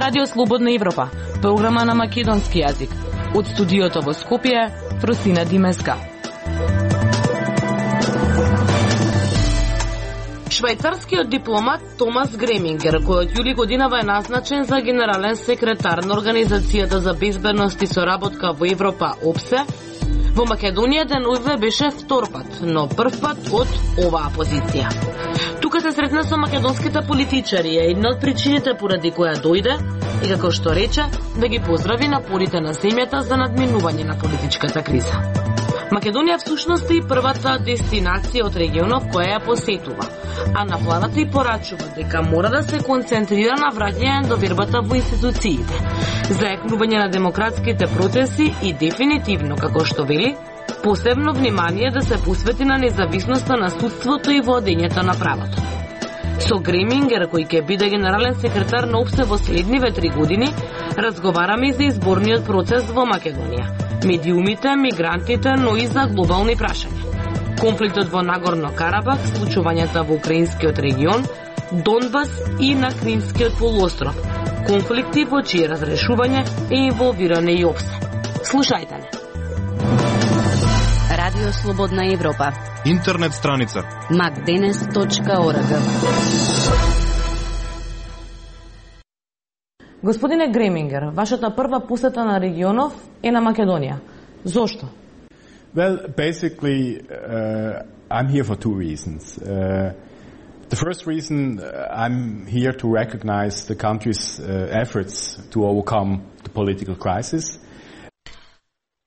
Радио Слободна Европа, програма на македонски јазик. Од студиото во Скопје, Фросина Димеска. Швајцарскиот дипломат Томас Гремингер, кој од јули годинава е назначен за генерален секретар на Организацијата за безбедност и соработка во Европа ОБСЕ, во Македонија деновиве беше втор пат, но прв пат од оваа позиција. Тука се сретна со македонските политичари, е една од причините поради која дојде и како што рече, да ги поздрави напорите на земјата за надминување на политичката криза. Македонија всушност е и првата дестинација од регионов која ја посетува, а на планата и порачува дека мора да се концентрира на враќање довербата во институциите, зајакнување на демократските процеси и дефинитивно, како што вели, посебно внимание да се посвети на независноста на судството и владењето на правото. Со Гремингер, кој ќе биде генерален секретар на ОБСЕ во следниве 3 години, разговараме и за изборниот процес во Македонија, медиумите, мигрантите, но и за глобални прашања. Конфликтот во Нагорно Карабах, случувањата во украинскиот регион, Донбас и на Кримскиот полуостров, конфликти во чие разрешување е инволвиране и ОБСЕ. Слушајте не. Радио Слободна Европа. Интернет страница macdenes.org. Господине Гремингер, вашата прва посета на регионов е на Македонија. Зошто? Well, basically, I'm here for two reasons. The first reason, I'm here to recognize the country's efforts to overcome the political crisis.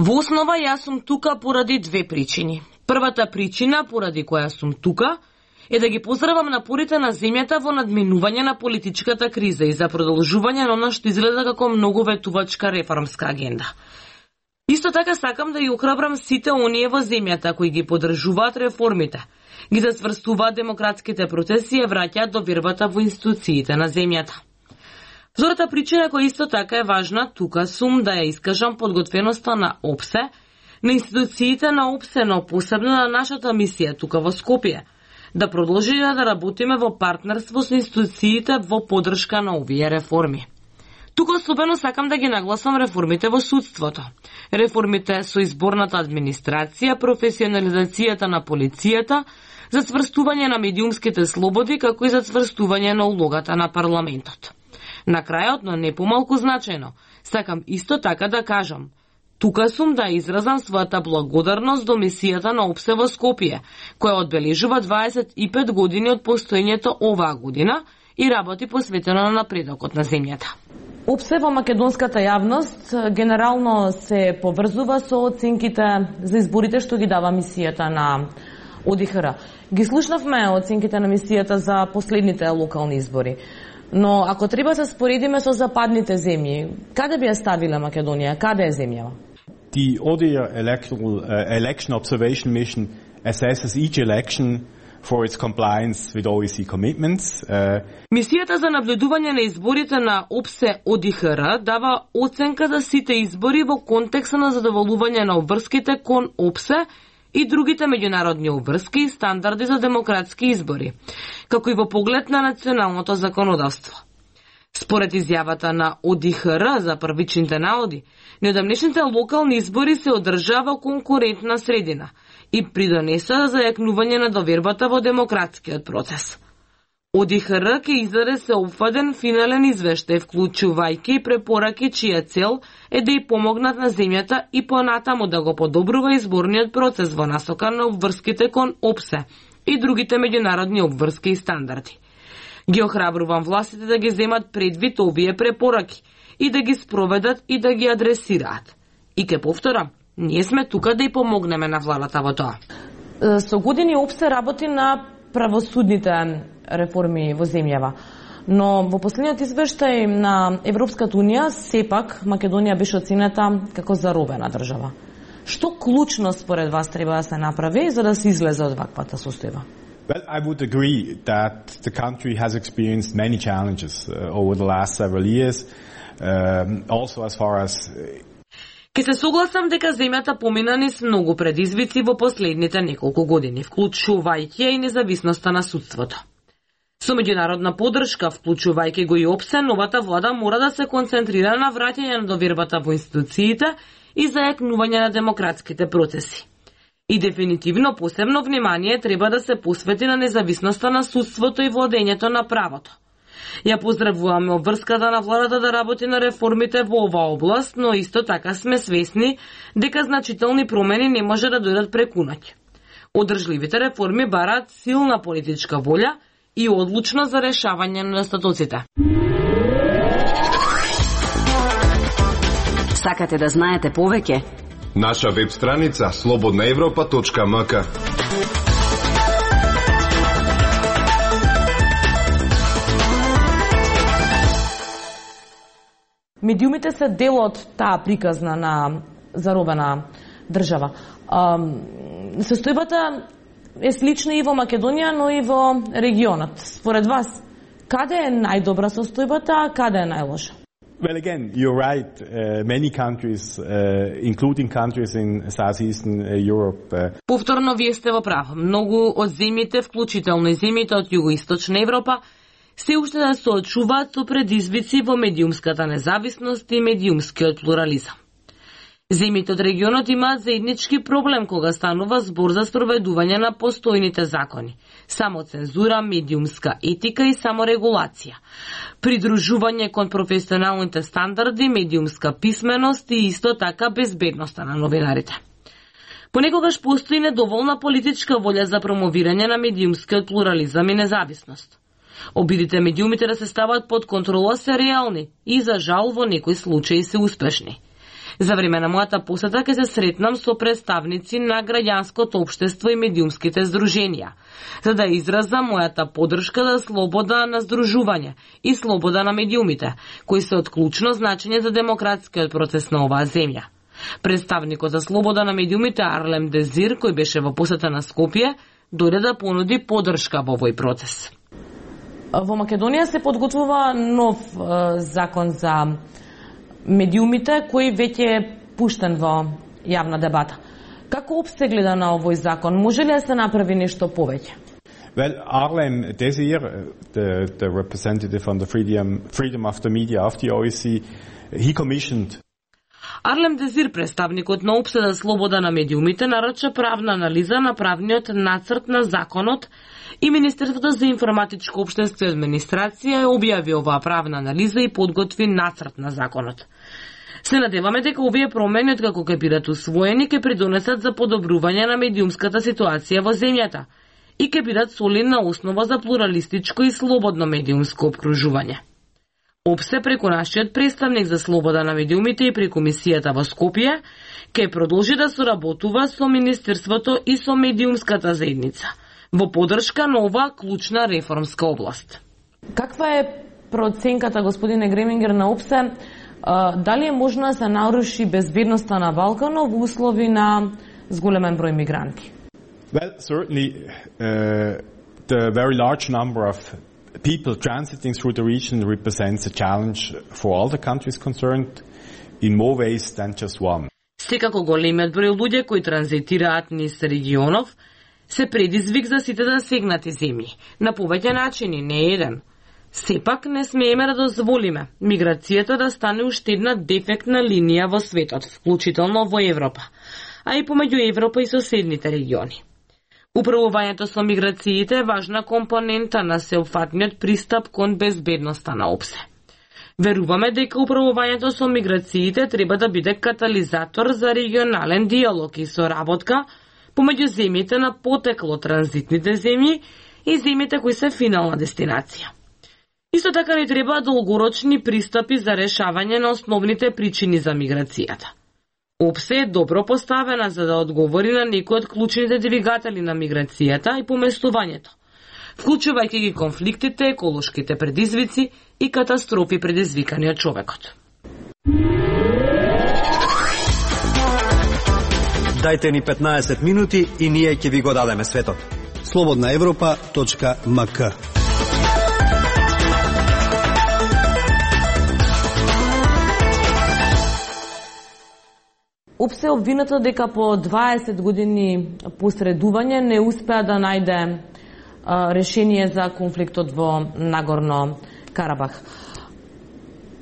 Во основа, јас сум тука поради две причини. Првата причина, поради која сум тука, е да ги поздравам напорите на земјата во надминување на политичката криза и за продолжување на она што изгледа како многу ветувачка реформска агенда. Исто така сакам да ја охрабрам сите оние во земјата кои ги поддржуваат реформите, ги засврстуваат демократските процеси и враќаат довербата во институциите на земјата. Втората причина која исто така е важна, тука сум да ја искажам подготвеноста на ОБСЕ, на институциите на ОБСЕ, но посебно на нашата мисија тука во Скопје, да продолжиме да работиме во партнерство со институциите во поддршка на овие реформи. Тука особено сакам да ги нагласам реформите во судството, реформите со изборната администрација, професионализацијата на полицијата, зацврстување на медиумските слободи, како и зацврстување на улогата на парламентот. На крајот, но не помалку значајно, сакам исто така да кажам, тука сум да изразам својата благодарност до мисијата на ОБСЕ во Скопје, која одбележува 25 години од постоењето оваа година и работи посветено на напредокот на земјата. ОБСЕ во македонската јавност генерално се поврзува со оценките за изборите што ги дава мисијата на ОДИХР. Ги слушнавме оценките на мисијата за последните локални избори. Но ако треба се споредиме со западните земји, каде би ја ставила Македонија? Каде е земјава? The ODIHR election observation mission assesses each election for its compliance with OEC commitments. Мисијата за наблюдување на изборите на ОБСЕ ОДИХР дава оценка за сите избори во контекста на задоволување на обврските кон ОБСЕ и другите меѓународни обврски и стандарди за демократски избори, како и во поглед на националното законодавство. Според изјавата на ОДИХР за првичните наоди, неодамнешните локални избори се одржава во конкурентна средина и придонеса за јакнување на довербата во демократскиот процес. ОДИХР ќе издаде сеопфатен финален извештај, вклучувајќи препораки чија цел е да ја помогнат на земјата и понатаму да го подобрува изборниот процес во насока на обврските кон ОБСЕ и другите меѓународни обврски и стандарди. Ги охрабрувам властите да ги земат предвид овие препораки и да ги спроведат и да ги адресираат. И ке повторам, ние сме тука да ја помогнеме на владата во тоа. Со години ОБСЕ работи на правосудните реформи во земјава. Но во последниот извештај на Европската Унија, сепак Македонија беше оценета како заробена држава. Што клучно според вас треба да се направи за да се излезе од ваквата состојба? Well, I would agree that the country has experienced many challenges over the last several years, also as far as Ке се согласам дека земјата помина низ многу предизвици во последните неколку години, вклучувајќи и независноста на судството. Со меѓународна поддршка, вклучувајќи го и ОПСЕ, новата влада мора да се концентрира на враќање на довербата во институциите и зајакнување на демократските процеси. И дефинитивно посебно внимание треба да се посвети на независноста на судството и владењето на правото. Ја поздравуваме обврската на владата да работи на реформите во оваа област, но исто така сме свесни дека значителни промени не може да дојдат преку ноќ. Одржливите реформи бараат силна политичка волја и одлучно за решавање на недостатоците. Сакате да знаете повеќе? Наша веб страница slobodnaevropa.mk. Медиумите се дел од таа приказна на заробена држава. Состојбата е слична и во Македонија, но и во регионот. Според вас, каде е најдобра состојбата, а каде е најлоша? Well, again, you're right. Many countries, including countries in Southeastern Europe. Повторно вие сте во прав. Многу од земјите, вклучително и земјите од југоисточна Европа, се уште да се очуваат со предизвици во медиумската независност и медиумскиот плурализам. Земјите од регионот имаат заеднички проблем кога станува збор за спроведување на постојните закони, самоцензура, медиумска етика и саморегулација, придружување кон професионалните стандарди, медиумска писменост и исто така безбедноста на новинарите. Понекогаш постои недоволна политичка волја за промовирање на медиумскиот плурализам и независност. Обидите медиумите да се стават под контрола се реални и за жал во некои случаи се успешни. За време на мојата посета ќе се сретнам со представници на граѓанското општество и медиумските здруженија, за да изразам мојата поддршка за слобода на здружување и слобода на медиумите, кои се од клучно значење за демократскиот процес на оваа земја. Представникот за слобода на медиумите Арлем Дезир, кој беше во посета на Скопје, дојде да понуди поддршка во овој процес. Во Македонија се подготвува нов закон за медиумите, кој веќе е пуштен во јавна дебата. Како ОПСЕ гледа на овој закон? Може ли да се направи нешто повеќе? Well, Arlem Desir, the representative on the freedom of the media of the OSCE, he commissioned. Арлем Дезир, представникот на ОПСЕ за слобода на медиумите, нарача правна анализа на правниот нацрт на законот и Министерството за информатичко општество и администрација објави оваа правна анализа и подготви нацрт на законот. Се надеваме дека овие промени, откако ќе бидат усвоени, ќе придонесат за подобрување на медиумската ситуација во земјата и ќе бидат солидна основа за плуралистичко и слободно медиумско опкружување. ОПСЕ преку нашиот представник за слобода на медиумите и преку мисијата во Скопје ќе продолжи да соработува со Министерството и со медиумската заедница во поддршка на оваа клучна реформска област. Каква е проценката, господине Гремингер, на ОПСЕ? Дали е можно да се наруши безбедноста на Балканот во услови на зголемен број мигранти? Well, certainly the very large number of people transiting through the region represents a challenge for all the countries concerned in more ways than just one. Секако големиот број луѓе кои транзитираат низ регионов се предизвик за сите засегнати земји, на повеќе начини, не еден. Сепак не смееме да дозволиме миграцијата да стане уште една дефектна линија во светот, вклучително во Европа, а и помеѓу Европа и соседните региони. Управувањето со миграциите е важна компонента на сеопфатниот пристап кон безбедноста на ОПСЕ. Веруваме дека управувањето со миграциите треба да биде катализатор за регионален диалог и соработка помеѓу земјите на потекло транзитните земји и земјите кои се финална дестинација. Исто така не треба долгорочни пристапи за решавање на основните причини за миграцијата. ОПСЕ е добро поставена за да одговори на некои од клучните двигатели на миграцијата и поместувањето, вклучувајќи ги конфликтите, еколошките предизвици и катастрофи предизвикани од човекот. Дајте ни 15 минути и ние ќе ви го дадеме светот. slobodnaevropa.mk. ОПСЕ е обвинато дека по 20 години посредување не успеа да најде решение за конфликтот во Нагорно Карабах.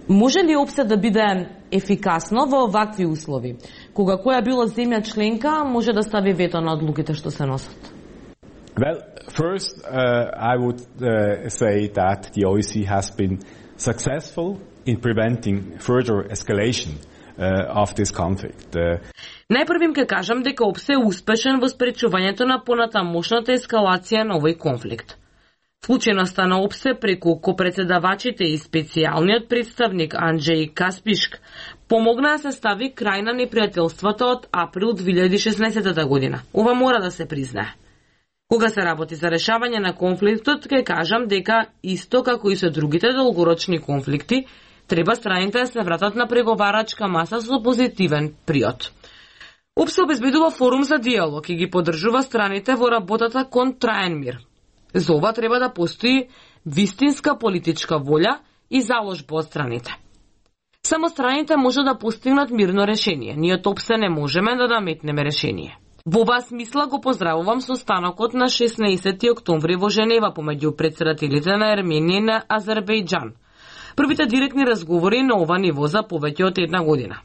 Може ли ОПСЕ да биде ефикасно во вакви услови, кога која било земја членка може да стави вето на одлуките што се носат? Well, first, I would say that the OSCE has been successful in preventing further escalation of this conflict. Најпрвим ке кажам дека ОПСЕ е успешен во спречувањето на понатамошната ескалација на овој конфликт. Вклученоста на ОПСЕ преку копредседавачите и специјалниот представник Анџеј Каспишк помогна да се стави крај на непријателството од април 2016 година. Ова мора да се признае. Кога се работи за решавање на конфликтот, ке кажам дека исто како и со другите долгорочни конфликти, треба страните да се вратат на преговарачка маса со позитивен приод. ОПСЕ обезбедува форум за диалог и ги поддржува страните во работата кон траен мир. За ова треба да постои вистинска политичка волја и заложба од страните. Само страните може да постигнат мирно решение. Ние од ОПСЕ не можеме да наметнеме решение. Во оваа смисла го поздравувам состанокот на 16 октомври во Женева помеѓу претседателите на Ерменија и на Азербејџан. Првите директни разговори на ова ниво за повеќе од една година.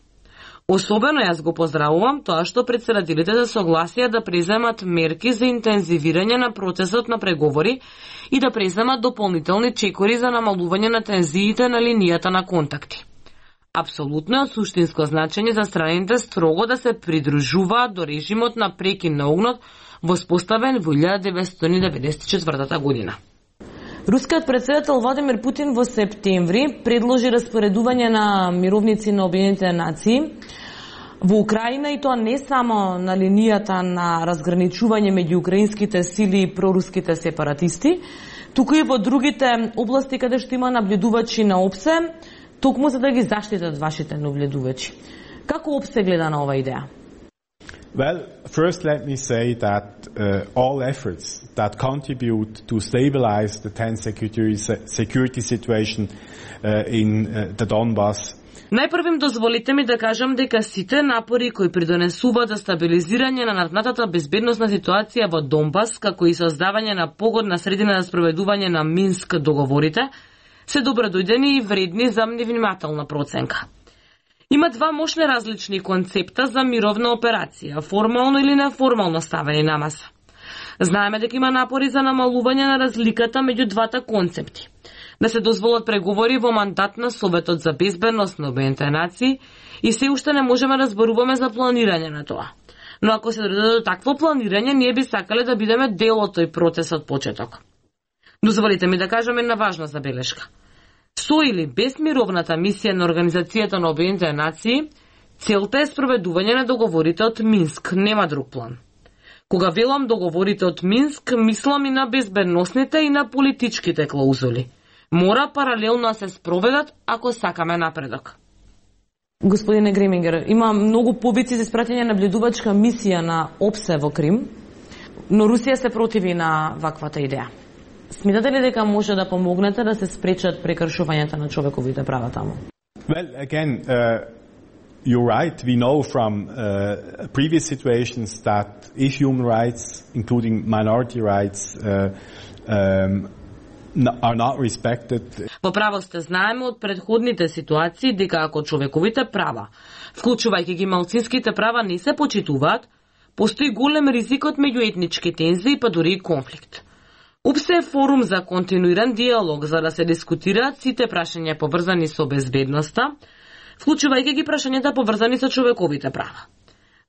Особено јас го поздравувам тоа што претседателите се согласија да преземат мерки за интензивирање на процесот на преговори и да преземат дополнителни чекори за намалување на тензиите на линијата на контакти. Апсолутно е од суштинско значење за страните строго да се придружуваат до режимот на прекин на огнот воспоставен во 1994 година. Рускиот претседател Владимир Путин во септември предложи распоредување на мировници на Обединетите нации во Украина и тоа не само на линијата на разграничување меѓу украинските сили и проруските сепаратисти, туку и во другите области каде што има наблюдувачи на ОПСЕ, токму за да ги заштитат вашите наблюдувачи. Како ОПСЕ гледа на оваа идеја? Well, first let me say that all efforts that contribute to stabilize the tense security situation in the Donbas. Најпрвим дозволите ми да кажам дека сите напори кои придонесуваат за стабилизирање на наднатата безбедносна ситуација во Донбас, како и создавање на погодна средина за спроведување на Минск договорите, се добродојдени и вредни за внимателна проценка. Има два мощни различни концепта за мировна операција, формално или неформално ставени на маса. Знаеме дека има напори за намалување на разликата меѓу двата концепти. Да се дозволат преговори во мандат на Советот за безбедност на Обединетите нации и се уште не можеме да зборуваме за планирање на тоа. Но ако се дојде до такво планирање, ние би сакале да бидеме дел од тој процес од почеток. Дозволите ми да кажам една важна забелешка. Со или без мировната мисија на Организацијата на Обединетите нации, целта е спроведување на договорите од Минск, нема друг план. Кога велам договорите од Минск, мислам и на безбедносните и на политичките клаузули. Мора паралелно да се спроведат ако сакаме напредок. Господине Гремингер, има многу повици за испраќање на наблюдувачка мисија на ОПСЕ во Крим, но Русија се противи на ваквата идеја. Смитате ли дека може да помогнете да се спречат прекршувањата на човековите права таму? Well, again, you're right. We know from previous situations that if human rights, including minority rights, are not respected. Во право сте, знаеме од предходните ситуации дека ако човековите права, вклучувајќи ги малцинските права, не се почитуваат, постои голем ризикот меѓу етнички тензии па дури и конфликт. ОПСЕ е форум за континуиран диалог за да се дискутираат сите прашања поврзани со безбедноста, вклучувајќи ги прашањата поврзани со човековите права.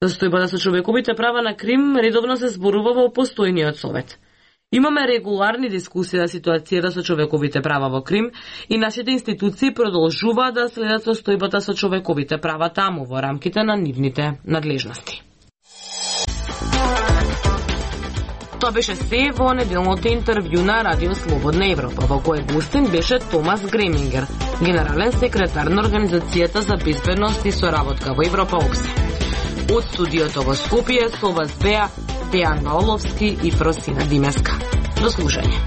Застојбата со човековите права на Крим редовно се зборува во постојниот совет. Имаме регуларни дискусии за ситуацијата со човековите права во Крим и нашите институции продолжуваат да следат состојбата со човековите права таму во рамките на нивните надлежности. Тоа беше се во неделното интервју на Радио Слободна Европа, во кој гостин беше Томас Гремингер, генерален секретар на Организацијата за безбедност и соработка во Европа ОПСЕ. Од студиото во Скопје со вас беа Дејан Ваоловски и Фросина Димеска. До слушање.